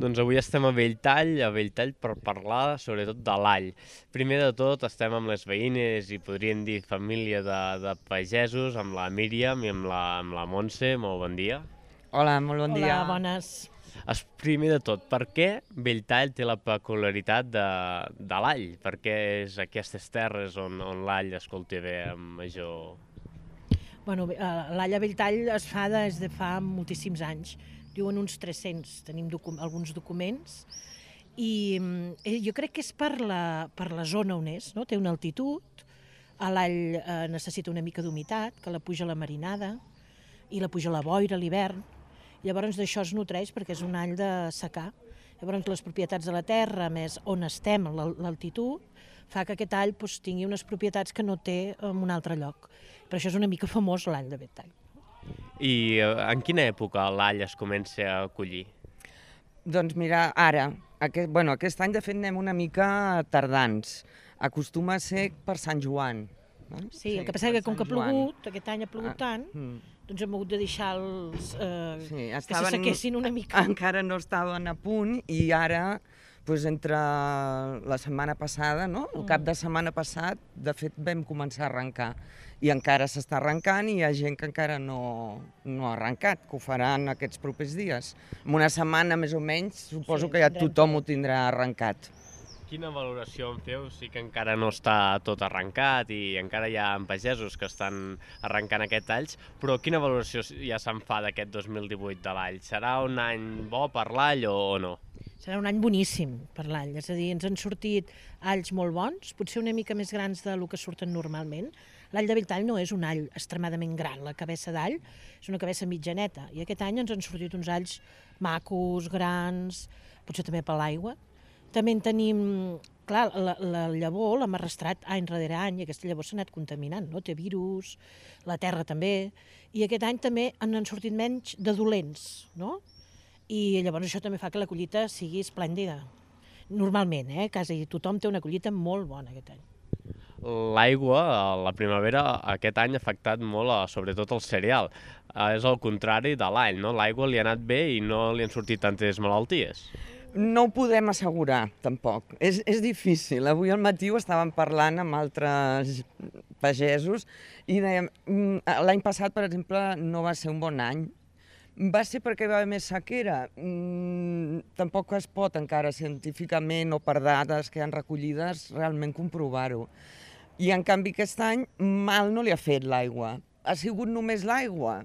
Doncs avui estem a Belltall per parlar sobretot de l'all. Primer de tot estem amb les veïnes i podríem dir família de pagesos, amb la Míriam i amb la Montse. Molt bon dia. Hola, molt bon dia. Hola, bones. Primer de tot, per què Belltall té la peculiaritat de l'all? Per què és aquestes terres on l'all es cultiva amb major... Bueno, l'all a Belltall es fa des de fa moltíssims anys. Diuen uns 300, tenim alguns documents. I jo crec que és per la zona on és, no? Té una altitud, l'all necessita una mica d'humitat, que la puja la marinada, i la puja la boira a l'hivern. Llavors d'això es nutreix perquè és un all de secà. Llavors les propietats de la terra, més on estem, l'altitud, fa que aquest all tingui unes propietats que no té en un altre lloc. Per això és una mica famós l'all de Belltall. I en quina època l'all es comença a collir? Doncs mira, ara, aquest any de fet anem una mica tardans. Acostuma a ser per Sant Joan. Sí, el que passa és que com que ha plogut, aquest any ha plogut tant, doncs hem hagut de deixar que se sequessin una mica. Encara no estaven a punt i ara, entre la setmana passada, el cap de setmana passat, de fet vam començar a arrencar. I encara s'està arrencant i hi ha gent que encara no ha arrencat, que ho faran aquests propers dies. En una setmana més o menys suposo que ja tothom ho tindrà arrencat. Quina valoració en feu? Sí que encara no està tot arrencat i encara hi ha pagesos que estan arrencant aquests alls, però quina valoració ja se'n fa d'aquest 2018 de l'all? Serà un any bo per l'all o no? Serà un any boníssim per l'all, és a dir, ens han sortit alls molt bons, potser una mica més grans del que surten normalment. L'all de Belltall no és un all extremadament gran, la cabeça d'all és una cabeça mitjaneta, i aquest any ens han sortit uns alls macos, grans, potser també per l'aigua. També en tenim, clar, la llavor l'hem arrastrat any rere any i aquesta llavor s'ha anat contaminant, no? Té virus, la terra també, i aquest any també han sortit menys de dolents, no? I llavors això també fa que la collita sigui esplèndida. Normalment, quasi tothom té una collita molt bona aquest any. L'aigua, a la primavera, aquest any ha afectat molt, sobretot el cereal. És el contrari de l'all, no? L'aigua li ha anat bé i no li han sortit tantes malalties. No ho podem assegurar, tampoc. És difícil. Avui al matí ho estàvem parlant amb altres pagesos i dèiem, l'any passat, per exemple, no va ser un bon any. Va ser perquè va haver més sequera. Tampoc es pot encara científicament o per dades que han recollides realment comprovar-ho. I en canvi aquest any mal no li ha fet l'aigua. Ha sigut només l'aigua?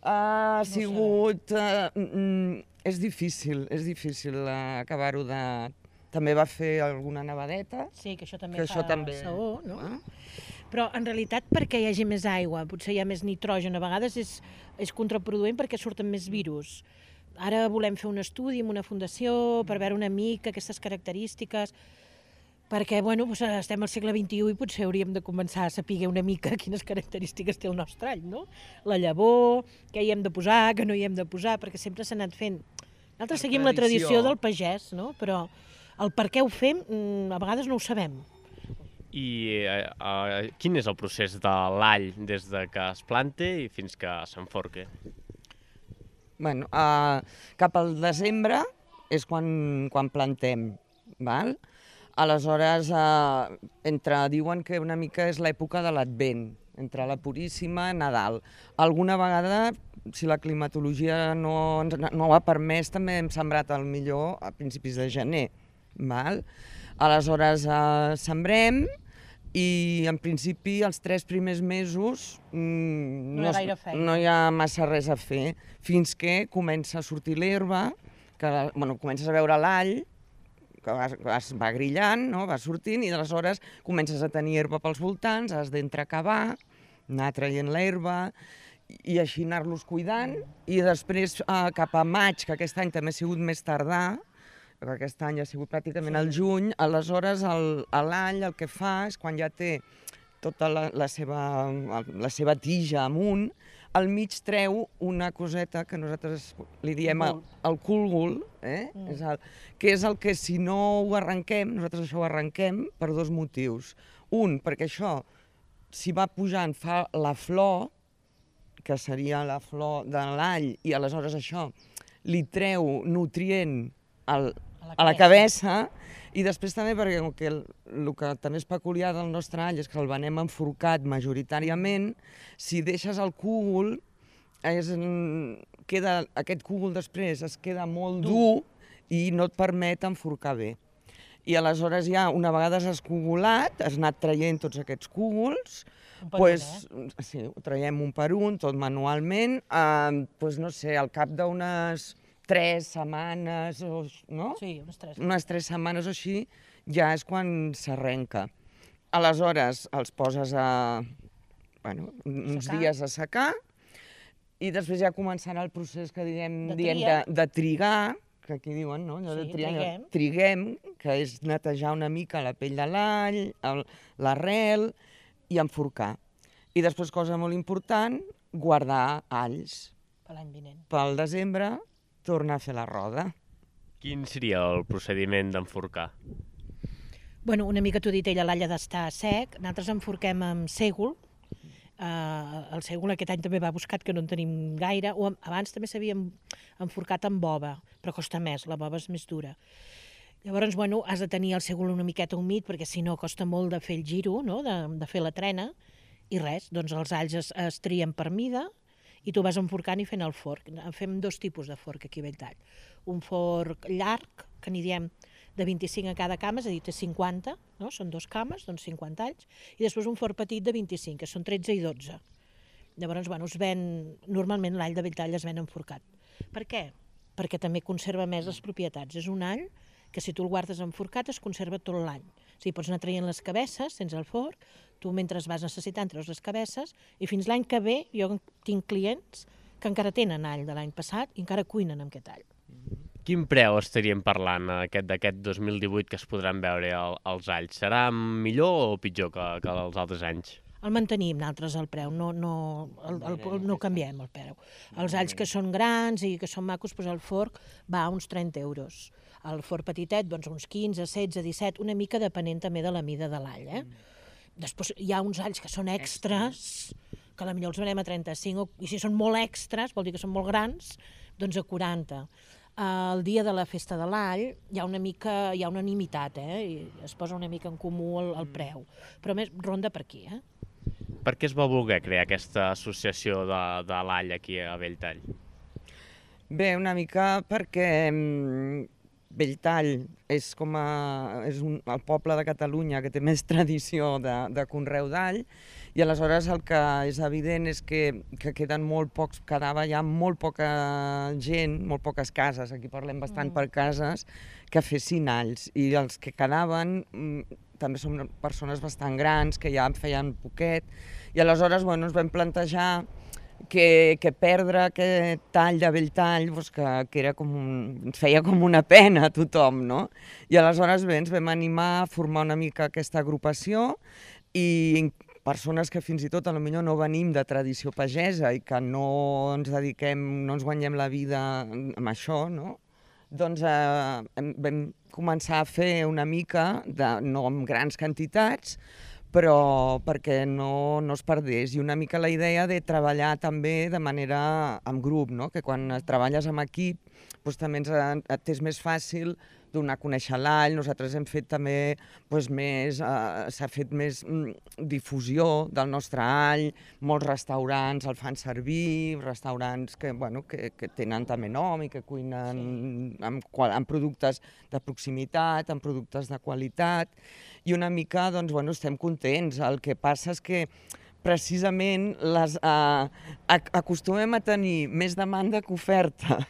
Ha sigut... És difícil acabar-ho de... També va fer alguna nevadeta. Sí, que això també fa saó, no? Però en realitat perquè hi hagi més aigua, potser hi ha més nitrogen, a vegades és contraproduent perquè surten més virus. Ara volem fer un estudi amb una fundació per veure una mica aquestes característiques, perquè estem al segle XXI i potser hauríem de començar a saber una mica quines característiques té el nostre all, no? La llavor, què hi hem de posar, què no hi hem de posar, perquè sempre s'ha anat fent. Nosaltres seguim la tradició del pagès, no? Però el per què ho fem a vegades no ho sabem. I quin és el procés de l'all des que es planta i fins que s'enforca? Cap al desembre és quan plantem, val? Aleshores, diuen que una mica és l'època de l'Advent, entre la Puríssima i Nadal. Alguna vegada, si la climatologia no ho ha permès, també hem sembrat el millor a principis de gener, val? Aleshores, sembrem i en principi els 3 primers mesos no hi ha massa res a fer, fins que comença a sortir l'herba, comences a veure l'all, que es va grillant, va sortint, i aleshores comences a tenir herba pels voltants, has d'entrecavar, anar traient l'herba, i així anar-los cuidant, i després cap a maig, que aquest any també ha sigut més tardà, perquè aquest any ha sigut pràcticament al juny, aleshores l'all el que fa és quan ja té tota la seva tija amunt, al mig treu una coseta que nosaltres li diem el cúlgul, que és el que si no ho arrenquem, nosaltres això ho arrenquem per 2 motius. Un, perquè això, si va pujant, fa la flor, que seria la flor de l'all, i aleshores això li treu nutrient a la cabeça, i després també perquè el que també és peculiar del nostre all és que el venem enforcat majoritàriament. Si deixes el cúgol, aquest cúgol després es queda molt dur i no et permet enforcar bé. I aleshores ja, una vegada has escogolat, has anat traient tots aquests cúgols, sí, ho traiem un per un, tot manualment, no sé, al cap d'unes 3 setmanes, no? Sí, unes 3. Unes 3 setmanes o així, ja és quan s'arrenca. Aleshores els poses uns dies a secar i després ja començarà el procés que diem de trigar, que aquí diuen, no? Allò de triguem, que és netejar una mica la pell de l'all, l'arrel i enforcar. I després, cosa molt important, guardar alls. Per l'any vinent. Pel desembre, tornar a fer la roda. Quin seria el procediment d'enforcar? Bueno, una mica t'ho dit ella, l'all ha d'estar sec. Nosaltres enforquem amb sègol. El sègol aquest any també va buscat, que no en tenim gaire. Abans també s'havia enforcat amb bova, però costa més, la bova és més dura. Llavors, bueno, has de tenir el sègol una miqueta humit, perquè si no costa molt de fer el giro, no? de fer la trena, i res, doncs els alls es trien per mida, i tu vas enforcant i fent el forc. Fem 2 tipus de forc aquí a Belltall. Un forc llarg, que n'hi diem de 25 a cada cama, és a dir, té 50, no? Són 2 cames, doncs 50 alls, i després un forc petit de 25, que són 13 i 12. Llavors, bueno, normalment l'all de Belltall es ven enforcat. Per què? Perquè també conserva més les propietats. És un all que si tu el guardes enforcat es conserva tot l'any. O sigui, pots anar traient les cabesses sense el forc, tu mentre vas necessitant treus les cabesses, i fins l'any que ve jo tinc clients que encara tenen all de l'any passat i encara cuinen amb aquest all. Quin preu estaríem parlant d'aquest 2018 que es podran veure els alls? Serà millor o pitjor que els altres anys? El mantenim nosaltres el preu, no canviem el preu. Els alls que són grans i que són macos, doncs el forc va a uns 30 euros. El forc petitet, doncs uns 15, 16, 17, una mica depenent també de la mida de l'all. Després hi ha uns alls que són extras, que potser els venem a 35, i si són molt extras, vol dir que són molt grans, doncs a 40. El dia de la festa de l'all hi ha una unanimitat, i es posa una mica en comú el preu, però més ronda per aquí. Per què es va voler crear aquesta associació de l'all aquí a Belltall? Bé, una mica perquè Belltall és el poble de Catalunya que té més tradició de conreu d'all, i aleshores el que és evident és que quedava ja molt poca gent, molt poques cases, aquí parlem bastant per cases, que fessin alls, i els que quedaven també són persones bastant grans, que ja en feien poquet, i aleshores ens vam plantejar que perdre aquest tall de Belltall que era ens feia com una pena a tothom, no? I aleshores ens vam animar a formar una mica aquesta agrupació, i persones que fins i tot potser no venim de tradició pagesa i que no ens guanyem la vida amb això, no? Doncs vam començar a fer una mica, no amb grans quantitats, però perquè no es perdés, i una mica la idea de treballar també de manera en grup, no? Que quan treballes en equip també et és més fàcil donar a conèixer l'all. Nosaltres hem fet també s'ha fet més difusió del nostre all, molts restaurants el fan servir, restaurants que tenen també nom i que cuinen amb productes de proximitat, amb productes de qualitat, i una mica estem contents. El que passa és que precisament acostumem a tenir més demanda que oferta.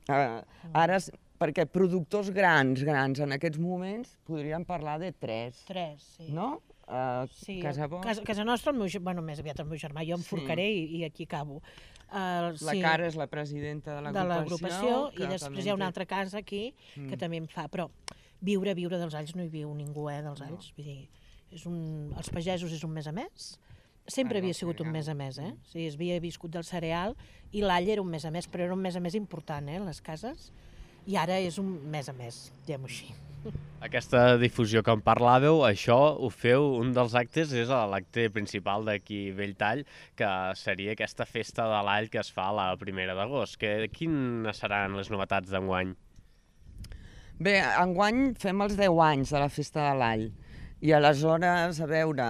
Ara, perquè productors grans en aquests moments podríem parlar de 3. 3, sí. No? Sí, casa nostra, més aviat el meu germà, jo em forcaré i aquí acabo. La Cara és la presidenta de l'agrupació. I després hi ha una altra casa aquí que també en fa, però viure dels alls no hi viu ningú, dels alls. Vull dir, els pagesos és un mes a mes, sempre havia sigut un mes a mes, O sigui, es havia viscut del cereal i l'all era un mes a mes, però era un mes a mes important, les cases, i ara és un mes a mes, diguem-ho així. Aquesta difusió que en parlàveu, això ho feu, un dels actes és l'acte principal d'aquí Belltall, que seria aquesta festa de l'all que es fa la 1 d'agost. Quines seran les novetats d'enguany? Bé, enguany fem els 10 anys de la Festa de l'All. I aleshores, a veure,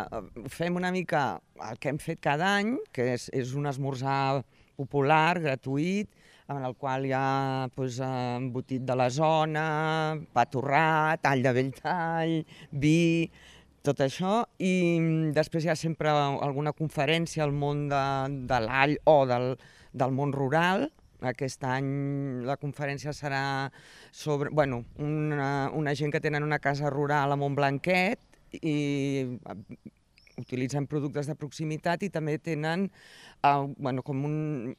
fem una mica el que hem fet cada any, que és un esmorzar popular, gratuït, en el qual hi ha doncs, embotit de la zona, pa torrat, tall de bell tall, vi, tot això. I després hi ha sempre alguna conferència al món de l'all o del món rural. Aquest any la conferència serà sobre una gent que tenen una casa rural a Montblanquet i utilitzen productes de proximitat i també tenen com un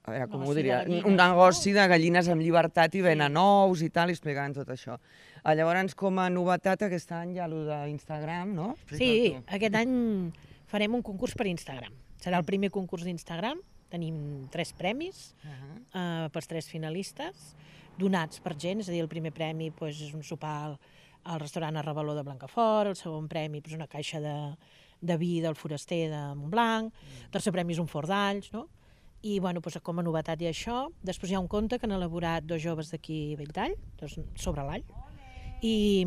negoci de gallines amb llibertat i venen ous i tal, i explicaran tot això. Llavors, com a novetat, aquest any hi ha allò d'Instagram, no? Sí, aquest any farem un concurs per Instagram. Serà el primer concurs d'Instagram. Tenim 3 premis pels 3 finalistes, donats per gent, és a dir, el primer premi és un sopar al restaurant Arrabaló de Blancafort, el segon premi és una caixa de vi del Foraster de Montblanc, el tercer premi és un forn d'alls, no? I com a novetat hi ha això. Després hi ha un conte que han elaborat 2 joves d'aquí a Belltall, sobre l'all, i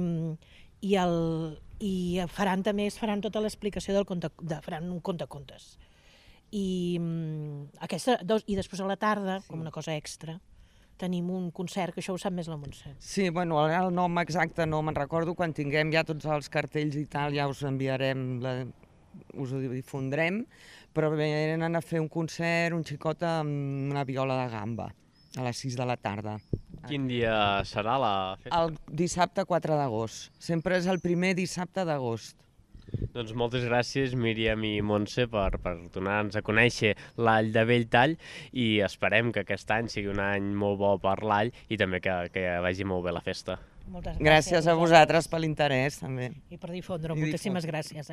faran tota l'explicació del conte, faran un contes. I després a la tarda, com una cosa extra, tenim un concert, que això ho sap més la Montse. Sí, ara el nom exacte no me'n recordo, quan tinguem ja tots els cartells i tal ja us enviarem, us ho difondrem, però venen a fer un concert, un xicot amb una viola de gamba, a les 6 de la tarda. Quin dia serà la festa? El dissabte 4 d'agost. Sempre és el primer dissabte d'agost. Doncs moltes gràcies, Míriam i Montse, per donar-nos a conèixer l'all de Belltall, i esperem que aquest any sigui un any molt bo per l'all i també que vagi molt bé la festa. Moltes gràcies a vosaltres per l'interès, també. I per difondre-ho. Moltíssimes gràcies.